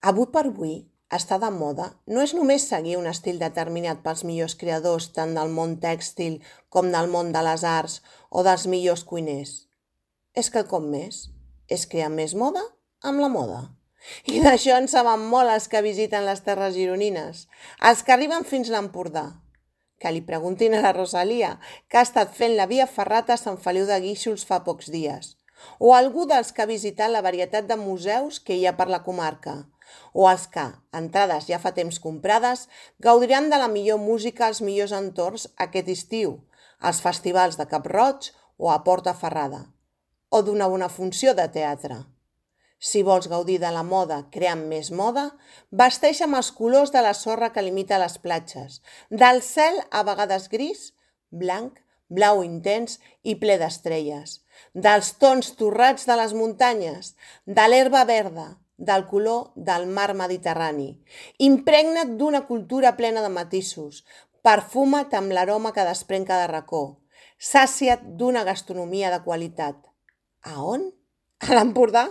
Avui per avui, estar de moda no és només seguir un estil determinat pels millors creadors tant del món tèxtil com del món de les arts o dels millors cuiners. És quelcom més. És crear més moda amb la moda. I d'això en saben molt els que visiten les terres gironines, els que arriben fins l'Empordà. Que li preguntin a la Rosalia, que ha estat fent la via ferrata a Sant Feliu de Guíxols fa pocs dies, o algú dels que ha visitat la varietat de museus que hi ha per la comarca, o els que, entrades ja fa temps comprades, gaudiran de la millor música als millors entorns aquest estiu, als festivals de Cap-roig o a Porta Ferrada, o d'una bona funció de teatre. Si vols gaudir de la moda creant més moda, vesteix amb els colors de la sorra que limita les platges, del cel a vegades gris, blanc, blau intens i ple d'estrelles, dels tons torrats de les muntanyes, de l'herba verda, del color del mar Mediterrani. Impregna't d'una cultura plena de matisos, perfuma't amb l'aroma que desprèn cada racó, sàcia't d'una gastronomia de qualitat. A on? A l'Empordà?